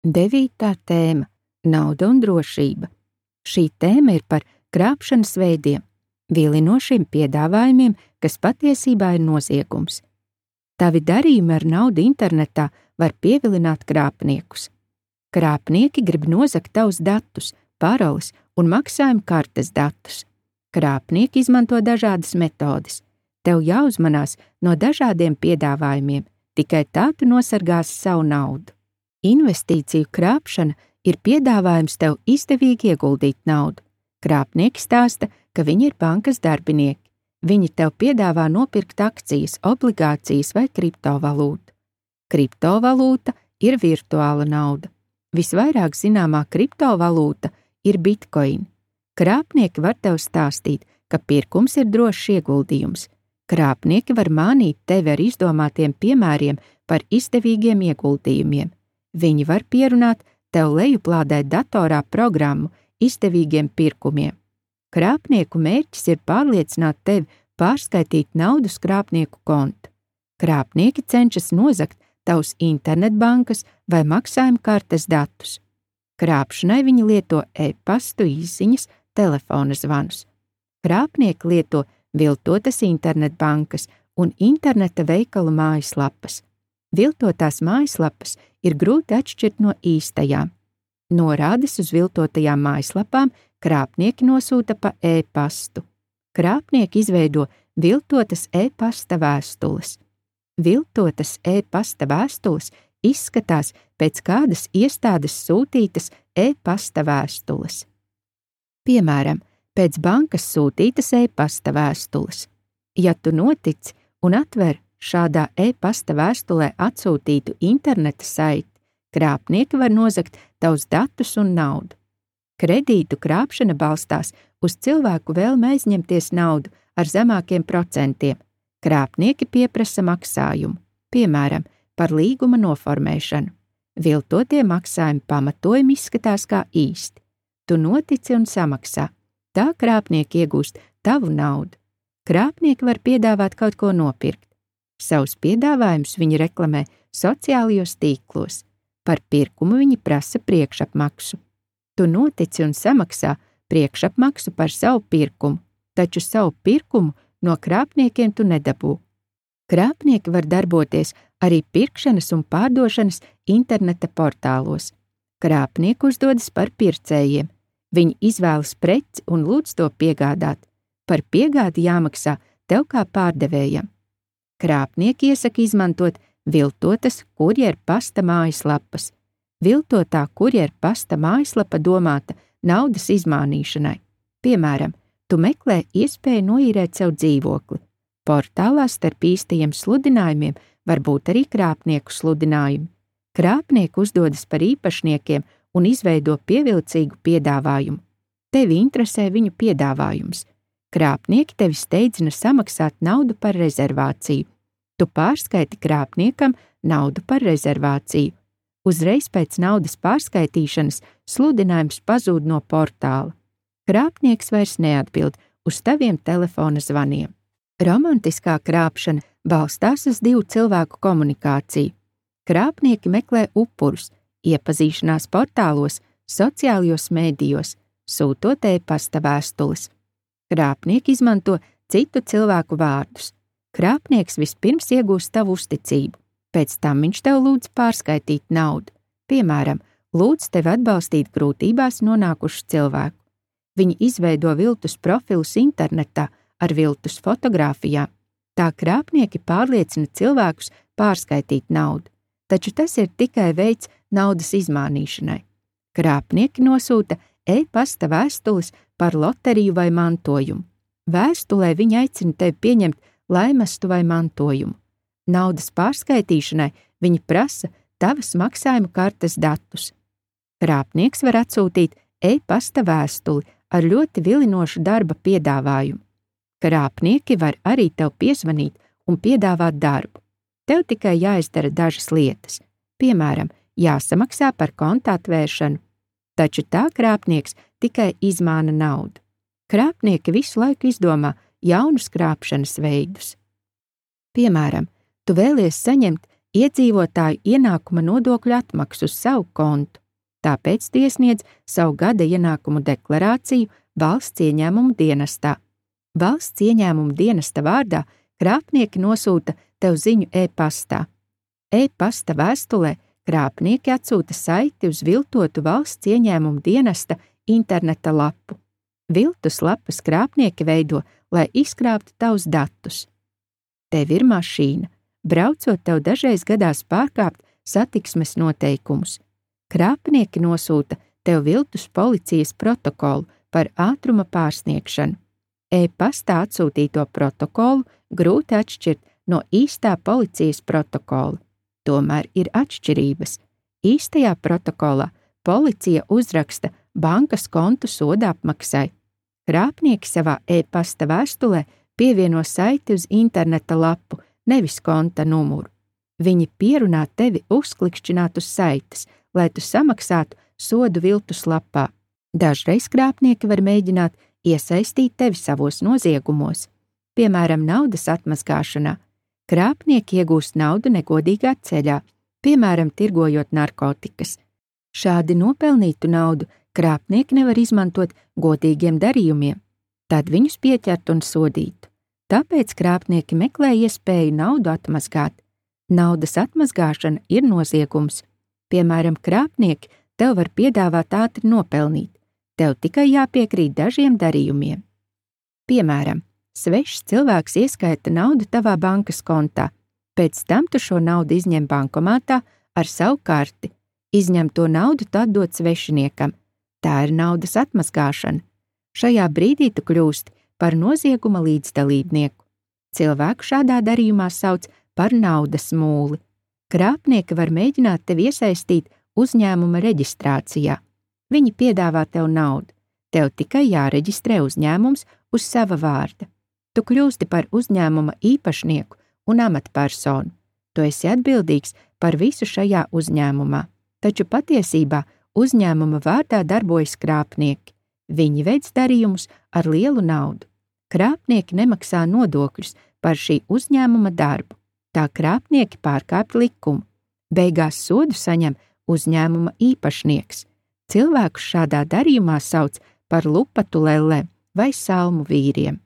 9. tēma – nauda un drošība. Šī tēma ir par krāpšanas veidiem, vilinošiem piedāvājumiem, kas patiesībā ir noziegums. Tavi darījumi ar naudu internetā var pievilināt krāpniekus. Krāpnieki grib nozagt tavus datus, paroles un maksājuma kartes datus. Krāpnieki izmanto dažādas metodes. Tev jāuzmanās no dažādiem piedāvājumiem, tikai tā tu nosargāsi savu naudu. Investīciju krāpšana ir piedāvājums tev izdevīgi ieguldīt naudu. Krāpnieki stāsta, ka viņi ir bankas darbinieki. Viņi tev piedāvā nopirkt akcijas, obligācijas vai kriptovalūtu. Kriptovalūta ir virtuāla nauda. Visvairāk zināmā kriptovalūta ir bitcoin. Krāpnieki var tev stāstīt, ka pirkums ir drošs ieguldījums. Krāpnieki var mānīt tevi ar izdomātiem piemēriem par izdevīgiem ieguldījumiem. Viņi var pierunāt tev lejuplādēt datorā programmu izdevīgiem pirkumiem. Krāpnieku mērķis ir pārliecināt tevi pārskaitīt naudu uz krāpnieku kontu. Krāpnieki cenšas nozagt tavus internetbankas vai maksājuma kartes datus. Krāpšanai viņi lieto e-pastu izziņas, telefona zvanus. Krāpnieki lieto viltotas internetbankas un interneta veikalu mājaslapas. Viltotās mājaslapas ir grūti atšķirt no īstajām. Norādes uz viltotajām mājaslapām krāpnieki nosūta pa e-pastu. Krāpnieki izveido viltotas e-pasta vēstules. Viltotas e-pasta vēstules izskatās pēc kādas iestādes sūtītas e-pasta vēstules. Piemēram, pēc bankas sūtītas e-pasta vēstules. Ja tu notici un atver šādā e-pasta vēstulē atsūtītu interneta saiti, krāpnieki var nozagt tavus datus un naudu. Kredītu krāpšana balstās uz cilvēku vēlmi aizņemties naudu ar zemākiem procentiem. Krāpnieki pieprasa maksājumu, piemēram, par līguma noformēšanu. Viltotie maksājuma pamatojumi izskatās kā īsti. Tu notici un samaksā. Tā krāpnieki iegūst tavu naudu. Krāpnieki var piedāvāt kaut ko nopirkt. Savus piedāvājumus viņi reklamē sociālajos tīklos. Par pirkumu viņi prasa priekšapmaksu. Tu notici un samaksā priekšapmaksu par savu pirkumu, taču savu pirkumu no krāpniekiem tu nedabū. Krāpnieki var darboties arī pirkšanas un pārdošanas interneta portālos. Krāpnieki uzdodas par pircējiem. Viņi izvēlas preci un lūdz to piegādāt. Par piegādi jāmaksā tev kā pārdevējam. Krāpnieki iesaka izmantot viltotas kurjerpasta mājaslapas. Viltotā kurjerpasta mājaslapa domāta naudas izmānīšanai. Piemēram, tu meklē iespēju noīrēt sev dzīvokli. Portālā starp īstajiem sludinājumiem var būt arī krāpnieku sludinājumi. Krāpnieki uzdodas par īpašniekiem un izveido pievilcīgu piedāvājumu. Tevi interesē viņu piedāvājums. Krāpnieki tevi steidzina samaksāt naudu par rezervāciju. Tu pārskaiti krāpniekam naudu par rezervāciju. Uzreiz pēc naudas pārskaitīšanas sludinājums pazūd no portāla. Krāpnieks vairs neatbild uz taviem telefona zvaniem. Romantiskā krāpšana balstās uz divu cilvēku komunikāciju. Krāpnieki meklē upurus iepazīšanās portālos, sociālajos mēdījos, sūtot e-pasta vēstules. Krāpnieki izmanto citu cilvēku vārdus. Krāpnieks vispirms iegūst tavu uzticību, pēc tam viņš tev lūdz pārskaitīt naudu. Piemēram, lūdz tevi atbalstīt grūtībās nonākušu cilvēku. Viņi izveido viltus profilus internetā ar viltus fotogrāfijām. Tā krāpnieki pārliecina cilvēkus pārskaitīt naudu, taču tas ir tikai veids naudas izmānīšanai. Krāpnieki nosūta e-pasta vēstules par loteriju vai mantojumu. Vēstulē viņi aicina tevi pieņemt laimestu vai mantojumu. Naudas pārskaitīšanai viņi prasa tavas maksājuma kartes datus. Krāpnieks var atsūtīt e-pasta vēstuli ar ļoti vilinošu darba piedāvājumu. Krāpnieki var arī tev piezvanīt un piedāvāt darbu. Tev tikai jāizdara dažas lietas, piemēram, jāsamaksā par konta atvēršanu, taču tā krāpnieks tikai izmāna naudu. Krāpnieki visu laiku izdomā jaunus krāpšanas veidus. Piemēram, tu vēlies saņemt iedzīvotāju ienākuma nodokļu atmaksu uz savu kontu, tāpēc tu iesniedz savu gada ienākumu deklarāciju Valsts ieņēmumu dienestā. Valsts ieņēmumu dienesta vārdā krāpnieki nosūta tev ziņu e-pastā. E-pasta vēstulē krāpnieki atsūta saiti uz viltotu Valsts ieņēmumu dienesta interneta lapu. Viltus lapas krāpnieki veido, lai izkrāptu tavus datus. Tev ir mašīna. Braucot, tev dažreiz gadās pārkāpt satiksmes noteikumus. Krāpnieki nosūta tev viltus policijas protokolu par ātruma pārsniegšanu. E-pastā atsūtīto protokolu grūti atšķirt no īstā policijas protokola. Tomēr ir atšķirības. Īstajā protokolā policija uzraksta bankas kontu soda apmaksai. Krāpnieki savā e-pasta vēstulē pievieno saiti uz interneta lapu, nevis konta numuru. Viņi pierunā tevi uzklikšķināt uz saites, lai tu samaksātu sodu viltus lapā. Dažreiz krāpnieki var mēģināt iesaistīt tevi savos noziegumos, piemēram, naudas atmazgāšanā. Krāpnieki iegūst naudu negodīgā ceļā, piemēram, tirgojot narkotikas. Šādi nopelnītu naudu krāpnieki nevar izmantot godīgiem darījumiem, tad viņus pieķert un sodītu. Tāpēc krāpnieki meklē iespēju naudu atmazgāt. Naudas atmazgāšana ir noziegums. Piemēram, krāpnieki tev var piedāvāt ātri nopelnīt. Tev tikai jāpiekrīt dažiem darījumiem. Piemēram, svešs cilvēks ieskaita naudu tavā bankas kontā. Pēc tam tu šo naudu izņem bankomātā ar savu karti. Izņemto naudu tu atdod svešiniekam. Tā ir naudas atmazgāšana. Šajā brīdī tu kļūsti par nozieguma līdzdalībnieku. Cilvēku šādā darījumā sauc par naudas mūli. Krāpnieki var mēģināt tevi iesaistīt uzņēmuma reģistrācijā. Viņi piedāvā tev naudu. Tev tikai jāreģistrē uzņēmums uz sava vārda. Tu kļūsti par uzņēmuma īpašnieku un amatpersonu. Tu esi atbildīgs par visu šajā uzņēmumā, taču patiesībā uzņēmuma vārdā darbojas krāpnieki. Viņi veic darījumus ar lielu naudu. Krāpnieki nemaksā nodokļus par šī uzņēmuma darbu. Tā krāpnieki pārkāpj likumu. Beigās sodu saņem uzņēmuma īpašnieks. Cilvēkus šādā darījumā sauc par lupatu lellēm vai salmu vīriem.